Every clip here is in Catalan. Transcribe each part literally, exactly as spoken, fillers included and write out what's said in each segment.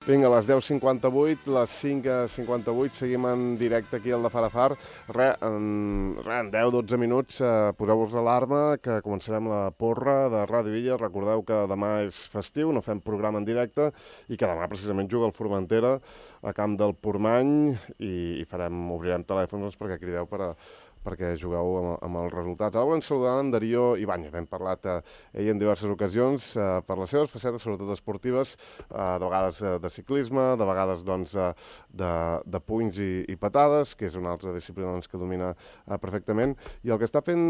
Vinga, a les deu cinquanta-vuit, les cinc cinquanta-vuit, seguim en directe aquí al de Farafar. Re, en, re, en deu dotze minuts eh, poseu-vos l'alarma que començarem la porra de Ràdio Illa. Recordeu que demà és festiu, no fem programa en directe i que demà precisament juga el Formentera a Camp del Portmany i, i farem, obrirem telèfons perquè crideu per a perquè jugueu amb, amb els resultats. Ara volem saludar en Darío Ibáñez. Hem parlat eh, ell en diverses ocasions eh, per les seves facetes, sobretot esportives, eh, de vegades eh, de ciclisme, de vegades doncs, eh, de, de punys i, i patades, que és una altra disciplina doncs, que domina eh, perfectament. I el que està fent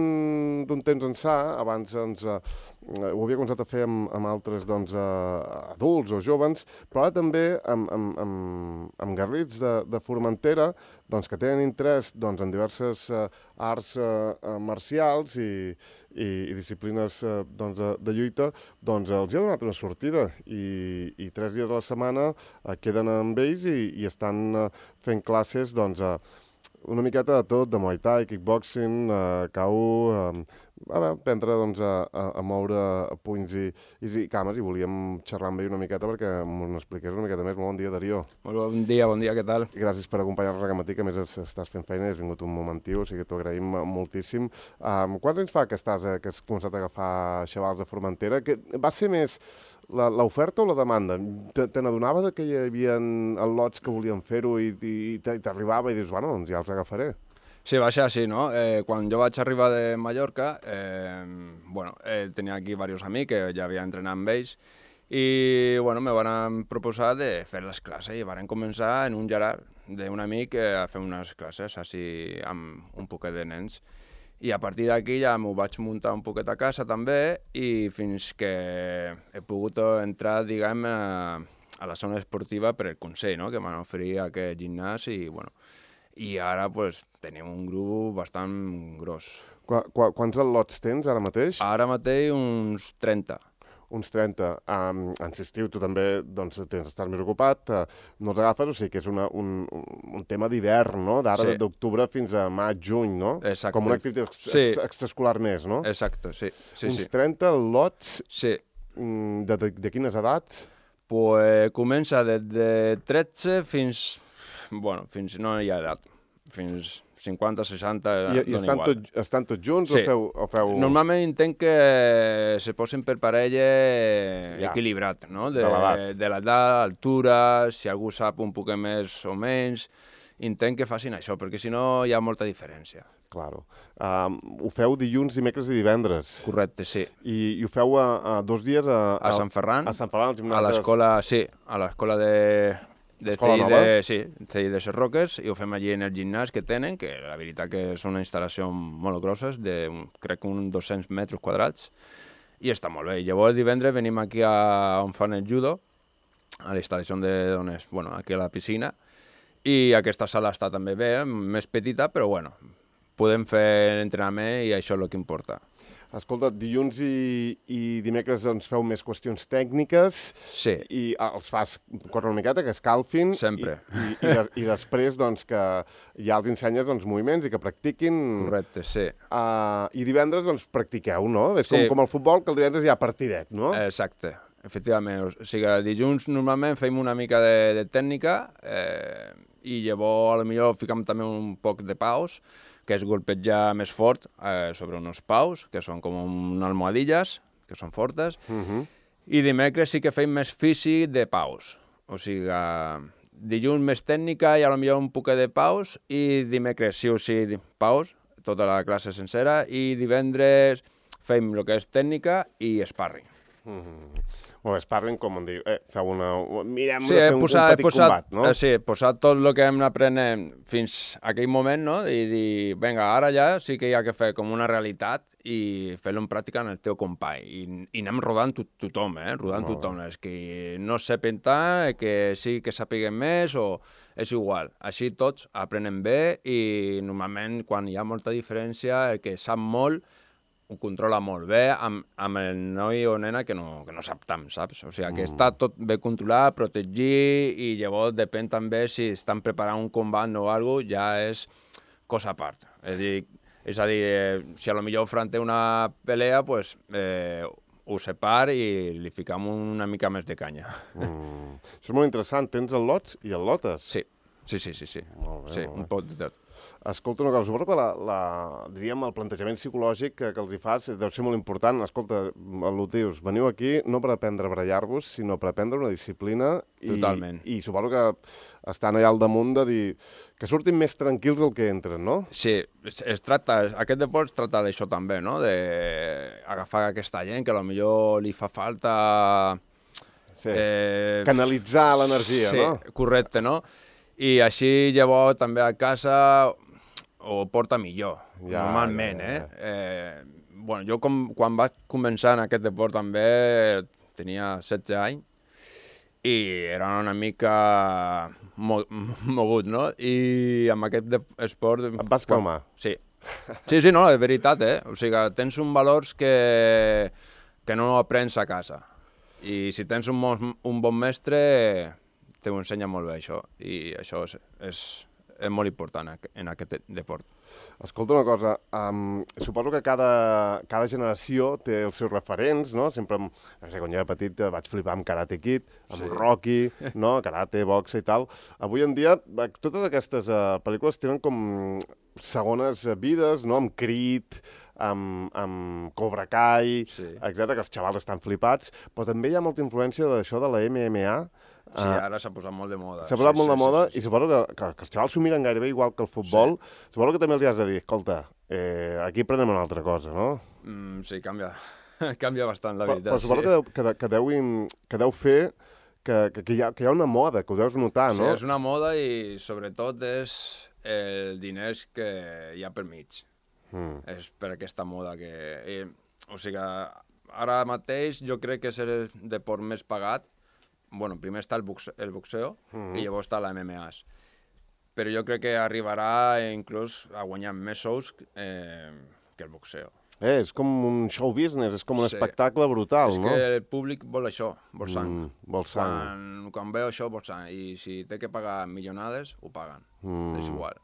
d'un temps ençà, abans ens, eh, ho havia començat a fer amb, amb altres doncs, eh, adults o jovens, però ara també amb, amb, amb, amb garrits de, de Formentera, doncs, que tenen interès doncs, en diverses eh, arts eh, marcials i, i, i disciplines eh, doncs, de, de lluita, doncs els hi ha donat una sortida i, i tres dies a la setmana eh, queden amb ells i, i estan eh, fent classes doncs, eh, una miqueta de tot, de Muay Thai, kickboxing, eh, K U, eh, a veure, aprendre doncs, a, a, a moure punys i, i, i cames, i volíem xerrar amb ell una miqueta perquè m'ho expliqués una miqueta més. Molt bon dia, Darío. Molt bon dia, bon dia, què tal? Gràcies per acompanyar-nos aquest matí, que a més estàs fent feina i has vingut un momentiu, o sigui que t'ho agraïm moltíssim. Um, quants anys fa que, estàs, eh, que has començat a agafar xavals de Formentera? Que va ser més l'oferta o la demanda? Te, te n'adonava que hi havia al·lots que volien fer-ho i, i, i t'arribava i dius, bueno, doncs ja els agafaré. Sí, va ser així, no? Eh, quan jo vaig arribar de Mallorca, eh, bueno, eh, tenia aquí diversos amics que ja havia entrenat amb ells i, bueno, me van proposar de fer les classes i van començar en un gerard d'un amic eh, a fer unes classes així amb un poquet de nens. I a partir d'aquí ja m'ho vaig muntar un poquet a casa també i fins que he pogut entrar, diguem, a, a la zona esportiva per el Consell, no? Que m'han oferit aquest gimnàs i, bueno, i ara pues, tenim un grup bastant gros. Qu qu quants al·lots tens ara mateix? Ara mateix uns trenta. Uns trenta. Um, en l'estiu tu també doncs, tens d'estar més ocupat, uh, no els agafes, o sigui que és una, un, un tema d'hivern, no? D'ara sí. D'octubre fins a maig, juny, no? Exacte. Com una activitat ex sí. extraescolar més, no? Exacte, sí. sí uns sí. trenta al·lots sí. de, de, de quines edats? Pues comença des de tretze fins... Bueno, fins no hi ha edat. Fins cinquanta, seixanta, I, i estan, tot, estan tots junts sí. o, feu, o feu...? Normalment intent que se posin per parella ja. Equilibrat, no? De, de l'edat, altura, si algú sap un poc més o menys, intent que facin això, perquè si no hi ha molta diferència. Claro. Um, ho feu dilluns, dimecres i divendres. Correcte, sí. I, i ho feu a, a dos dies a... A, a Sant Ferran. A Sant Ferran, al gimnàs. A l'escola, sí, a l'escola de... de C I de, sí, C I de Ses Roques, i ho fem allí en el gimnàs que tenen, que la veritat que són una instal·lació molt grosses, de crec que uns dos-cents metres quadrats, i està molt bé. I llavors divendres venim aquí a on fan el judo, a la instal·lació de dones, bueno, aquí a la piscina, i aquesta sala està també bé, més petita, però bueno, podem fer l'entrenament i això és el que importa. Escolta, dilluns i, i dimecres doncs, feu més qüestions tècniques sí. i els fas córrer una miqueta, que escalfin. Sempre. I, i, i, de, i després doncs, que ja els ensenyes doncs, moviments i que practiquin. Correcte, sí. Uh, I divendres doncs, practiqueu, no? És sí. com, com el futbol, que el divendres hi ha partidet, no? Exacte, efectivament. O sigui, dilluns normalment fem una mica de, de tècnica eh, i llavors potser ficam també un poc de paus, que és golpejar més fort eh, sobre uns paus, que són com unes almohadilles, que són fortes, uh -huh. i dimecres sí que fem més físic de paus. O sigui, eh, dilluns més tècnica i potser un poc de paus, i dimecres sí o sí paus, tota la classe sencera, i divendres fem el que és tècnica i sparring. Uh -huh. O es parlen com en diu, eh, feu una... Mirem sí, de fer un, posat, un petit posat, combat, no? Eh, sí, posar tot el que hem aprenent fins a aquell moment, no? I dir, vinga, ara ja sí que hi ha que fer com una realitat i fer-lo en pràctica en el teu company. I, i anem rodant tot, tothom, eh? Rodant oh. tothom. És que no sepen tant, que sí que sàpiguen més, o és igual. Així tots aprenen bé i normalment quan hi ha molta diferència, el que sap molt ho controla molt bé amb, amb el noi o nena que no, que no sap tant, saps? O sigui, que mm. està tot bé controlat, protegit, i llavors depèn també si estan preparant un combat o alguna cosa, ja és cosa a part. És a dir, és a dir eh, si a lo millor enfront té una pelea, pues, eh, ho separ i li ficam una mica més de canya. Mm. Això és molt interessant. Tens el lots i el lotes. Sí, sí, sí, sí. sí. Molt bé, sí molt bé. un poc de tot. Escolta una cosa, suposo que la, la, diríem, el plantejament psicològic que, que els hi fas deu ser molt important. Escolta, el dius, veniu aquí no per aprendre a barallar-vos, sinó per aprendre una disciplina. I, Totalment. I suposo que estan allà al damunt de dir que surtin més tranquils del que entren, no? Sí, es, es tracta, aquest deport es tracta d'això també, no? D'agafar aquesta gent que potser li fa falta... Sí. Eh, Canalitzar l'energia, sí, no? Sí, correcte, no? I així llavors també a casa ho porta millor, Ja, normalment, ja, ja. eh? eh? Bueno, jo com, quan vaig començar en aquest deport també tenia setze anys i era una mica mo mogut, no? I amb aquest esport... Et vas calmar. Sí. Sí, sí, no, és veritat, eh? O sigui, tens uns valors que, que no aprens a casa. I si tens un, un bon mestre, t'ho ensenya molt bé, això. I això és, és, és molt important en aquest deport. Escolta una cosa, um, suposo que cada, cada generació té els seus referents, no? Sempre, no sé, quan jo era petit vaig flipar amb Karate Kid, amb sí. Rocky, no? Karate, boxa i tal. Avui en dia, totes aquestes uh, pel·lícules tenen com segones vides, no? Amb Creed, amb, amb Cobra Kai, sí. etcètera, que els xavals estan flipats, però també hi ha molta influència d'això de la M M A. Sí, ara s'ha posat molt de moda. S'ha posat sí, molt sí, de moda sí, sí, sí. I suposo que, que, que els xavals s'ho miren gairebé igual que el futbol. Sí. Suposo que també els has de dir, escolta, eh, aquí prenem una altra cosa, no? Mm, sí, canvia. Canvia bastant, la però, veritat. Però suposo sí. que, deu, que, que, deu, que deu fer que, que, que, hi ha, que hi ha una moda, que ho deus notar, no? Sí, és una moda i sobretot és el diners que hi ha per mig. Mm. És per aquesta moda que... Eh, o sigui, ara mateix jo crec que és el deport més pagat. Bueno, primer està el, boxe, el boxeo mm-hmm. i llavors està la M M A. Però jo crec que arribarà inclús a guanyar més sous eh, que el boxeo. Eh, és com un show business, és com un sí. espectacle brutal, és no? És que el públic vol això, vol sang. Mm, vol sang. Quan, quan veu això, vol sang. I si té que pagar milionades, ho paguen. Mm. És igual.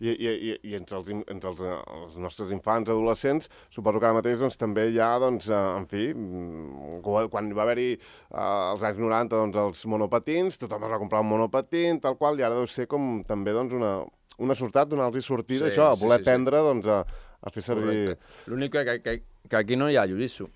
I, i, i, i entre, els, entre els, els nostres infants, adolescents, suposo que ara mateix doncs, també hi ha, doncs, en fi, quan va haver-hi eh, als anys noranta doncs, els monopatins, tothom es va comprar un monopatín, tal qual, i ara deu ser com també doncs, una, una sortat, donar-los sortida, sí, això, a voler sí, sí, aprendre sí. doncs, a, a fer servir... L'únic que, que, que aquí no hi ha jiu-jitsu,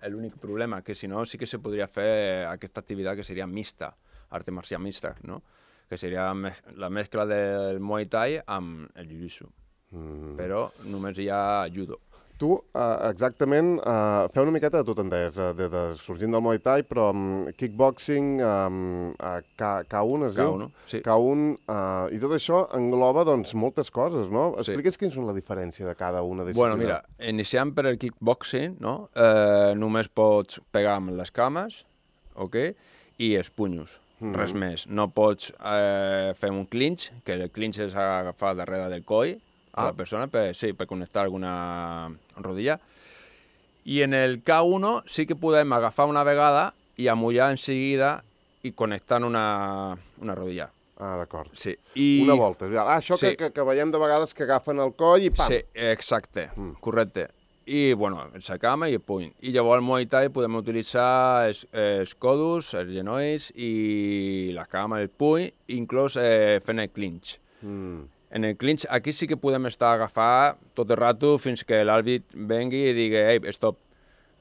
l'únic problema, que si no sí que se podria fer aquesta activitat que seria mixta, arte marcial mixta, no? Que seria la mescla del Muay Thai amb el jiu-jitsu. Mm. Però només hi ha judo. Tu, uh, exactament, uh, feu una miqueta de tot, en deies, uh, de, de, sorgint del Muay Thai, però um, kickboxing, um, uh, K un, es diu? K un, sí. K un, uh, i tot això engloba, doncs, moltes coses, no? Explique'ns sí. Quins són la diferència de cada una disciplina. Bueno, mira, iniciant per el kickboxing, no? Eh, només pots pegar amb les cames, ok? I els punyos. Mm-hmm. Res més. No pots eh, fer un clinch, que el clinch és agafar darrere del coll a ah. la persona, per, sí, per connectar alguna rodilla. I en el K un sí que podem agafar una vegada i amollar en seguida i connectar una, una rodilla. Ah, d'acord. Sí. I... Una volta. Ah, això sí. que, que, que veiem de vegades que agafen el coll i pam! Sí, exacte, mm. correcte. I, bueno, la cama i el puny. I llavors al Muay Thai podem utilitzar els, els codos, els genolls i la cama, el puny, inclús eh, fent el clinch. Mm. En el clinch, aquí sí que podem estar a agafar tot el rato fins que l'àrbit vengui i digui, ei, stop,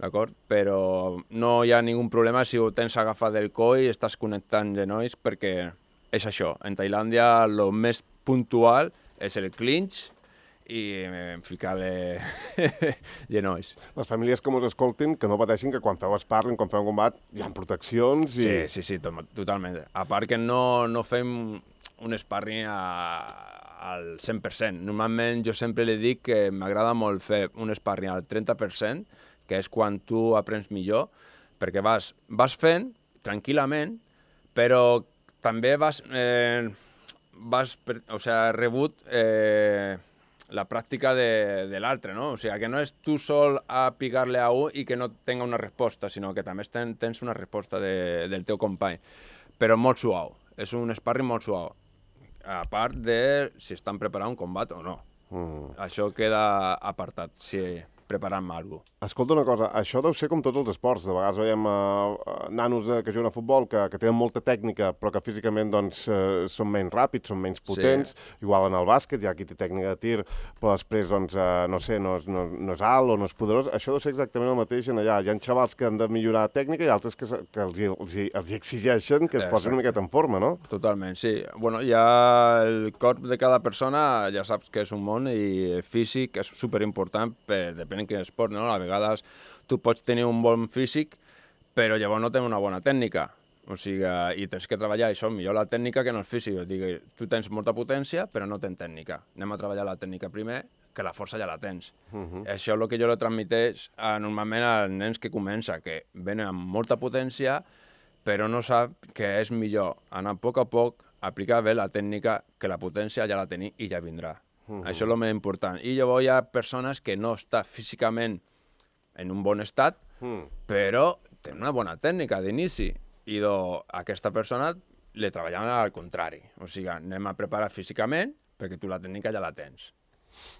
d'acord? Però no hi ha ningun problema si ho tens agafat del coll i estàs connectant genolls, perquè és això. En Tailàndia el més puntual és el clinch i ficar-li genolls. Les famílies que ens escoltin, que no pateixin que quan feu sparring, quan feu un combat, hi ha proteccions i... Sí, sí, sí, to totalment. A part que no, no fem un sparring a, al cent per cent. Normalment jo sempre li dic que m'agrada molt fer un sparring al trenta per cent, que és quan tu aprens millor, perquè vas, vas fent tranquil·lament, però també vas, eh, vas per, o sigui, rebut... Eh, la pràctica de, de l'altre, no? O sigui, que no és tu sol a picar-li a un i que no tenga una resposta, sinó que també ten, tens una resposta de, del teu company. Però molt suau. És un sparring molt suau. A part de si estan preparant un combat o no. Mm. Això queda apartat. Si preparant-me alguna cosa. Escolta una cosa, això deu ser com tots els esports. De vegades veiem uh, nanos uh, que juguen a futbol que, que tenen molta tècnica però que físicament doncs, uh, són menys ràpids, són menys potents. Sí. Igual en el bàsquet, hi ha qui té tècnica de tir, però després, doncs, uh, no sé, no és, no, no és alt o no és poderós. Això deu ser exactament el mateix en allà. Hi ha xavals que han de millorar tècnica i altres que, que els, els, els exigeixen que es Exacte. posin una miqueta en forma, no? Totalment, sí. Bueno, ja el corp de cada persona ja saps que és un món i el físic és superimportant, per, depèn de quin esport, no? A vegades tu pots tenir un bon físic, però llavors no tens una bona tècnica. O sigui, i tens que treballar això, millor la tècnica que en el físic. O sigui, tu tens molta potència, però no tens tècnica. Anem a treballar la tècnica primer, que la força ja la tens. Uh -huh. Això és el que jo li transmeteix a, normalment als nens que comença, que venen amb molta potència, però no sap que és millor anar a poc a poc, aplicar bé la tècnica, que la potència ja la tenim i ja vindrà. Uh -huh. Això és el més important. I llavors hi ha persones que no estan físicament en un bon estat, mm. però tenen una bona tècnica d'inici. I do, aquesta persona li treballem al contrari. O sigui, anem a preparar físicament perquè tu la tècnica ja la tens.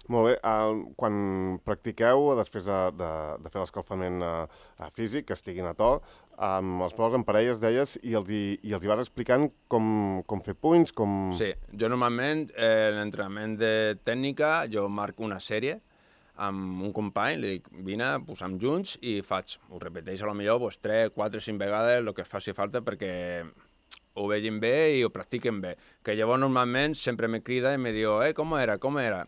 Molt bé. Uh, quan practiqueu, després de, de, de fer l'escalfament uh, físic, que estiguin a to, um, els proves en parelles, deies, i els, hi, i els hi vas explicant com, com fer punys, com... Sí, jo normalment, eh, en l'entrenament de tècnica, jo marco una sèrie amb un company, li dic, vine, posem junts i faig, ho repeteix a lo millor pues, tres, quatre, cinc vegades el que faci falta perquè ho vegin bé i ho practiquen bé. Que llavors normalment sempre me crida i me diu, eh, com era, com era?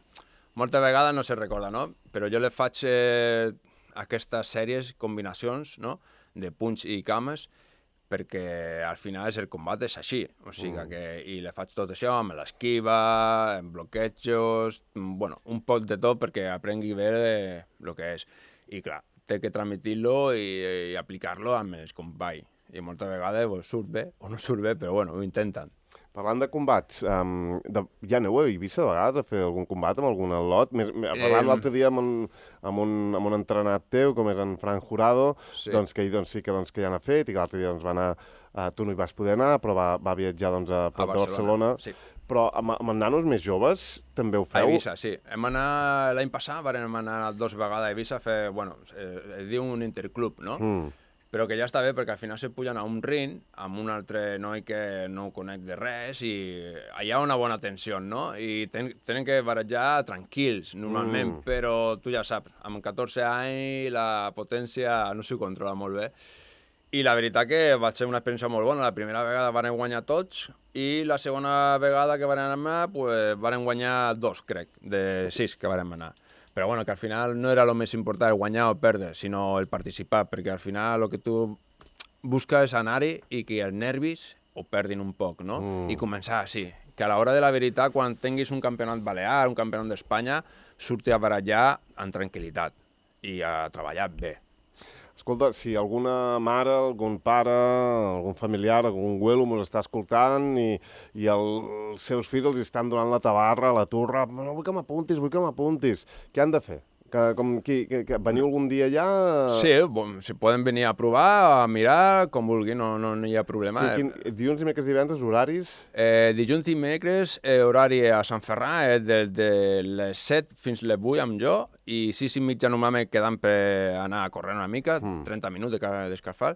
Moltes vegades no se recorda, no? Però jo le faig eh, aquestes sèries, combinacions, no?, de punys i cames, perquè al final el combat és així, o sigui mm. que i le faig tot això amb l'esquiva, amb bloquejos, bueno, un poc de tot perquè aprengui bé el que és. I clar, té que transmitir-lo i, i aplicar-lo amb els companys. I moltes vegades pues, surt bé o no surt bé, però bueno, ho intenten. Parlant de combats, um, de, ja aneu a Eivissa de vegades a fer algun combat amb algun al·lot? Parlant eh... l'altre dia amb un, amb, un, amb un entrenat teu, com és en Fran Jurado, sí. doncs que ell doncs, sí que, doncs, que ja n'ha fet, i que l'altre dia doncs, va anar, uh, tu no hi vas poder anar, però va, va viatjar doncs, a prop de Barcelona. Sí. Però amb, amb nanos més joves també ho feu? A Eivissa, sí. Hem anat l'any passat, vam anar dues vegades a Eivissa a fer, bueno, eh, es diu un interclub, no? Mm. Però que ja està bé perquè al final se pugen a un ring amb un altre noi que no ho conec de res i hi ha una bona tensió, no? I ten, tenen que barallar tranquils, normalment, mm. però tu ja saps, amb catorze anys la potència no s'ho controla molt bé. I la veritat que va ser una experiència molt bona. La primera vegada van guanyar tots i la segona vegada que van anar, pues, van guanyar dos, crec, de sis que van anar. Però bueno, que al final no era el més important el guanyar o perdre, sinó el participar, perquè al final el que tu busques és anar-hi i que els nervis ho perdin un poc, no? Mm. I començar així, que a l'hora de la veritat, quan tinguis un campionat balear, un campionat d'Espanya, surti a barallar amb tranquil·litat i a treballar bé. Escolta, si alguna mare, algun pare, algun familiar, algun güelo mos està escoltant i, i el, els seus fills els estan donant la tabarra, la turra, no vull que m'apuntis, vull que m'apuntis, què han de fer? Que, com, que, que, que veniu algun dia allà? Sí, bon, si poden venir a provar, a mirar, com vulguin, no, no, no hi ha problema. Quin, quin, dilluns, dimecres, divendres, horaris? Eh, dilluns i dimecres, eh, horari a Sant Ferran, és des de les set fins les vuit amb jo, i sis i mitja normalment quedant per anar a córrer una mica, mm. trenta minuts de descalfar,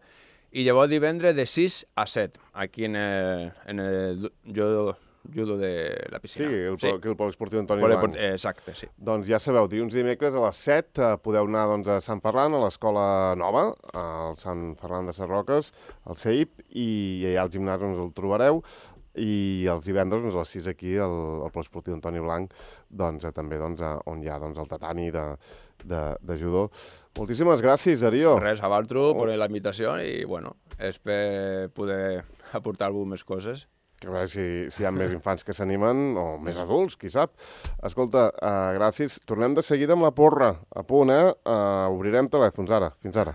i llavors divendres de sis a set, aquí en el, en el jo, judo de la piscina. Sí, el, sí. el poliesportiu Antoni Blanc. Exacte, sí. Doncs ja sabeu, dilluns i dimecres a les set eh, podeu anar doncs, a Sant Ferran, a l'escola nova, al Sant Ferran de Sarroques, al C E I P, i allà al gimnàs ens el trobareu. I els divendres doncs, a les sis aquí al, al poliesportiu Antoni Blanc, doncs, eh, també doncs, eh, on hi ha doncs, el tatami de, de, de judo. Moltíssimes gràcies, Darío. Res, a Valtro, per la invitació i, bueno, espero poder aportar algunes més coses. A veure si, si hi ha més infants que s'animen, o més adults, qui sap. Escolta, uh, gràcies. Tornem de seguida amb la porra. A punt, eh? Uh, obrirem telèfons ara. Fins ara.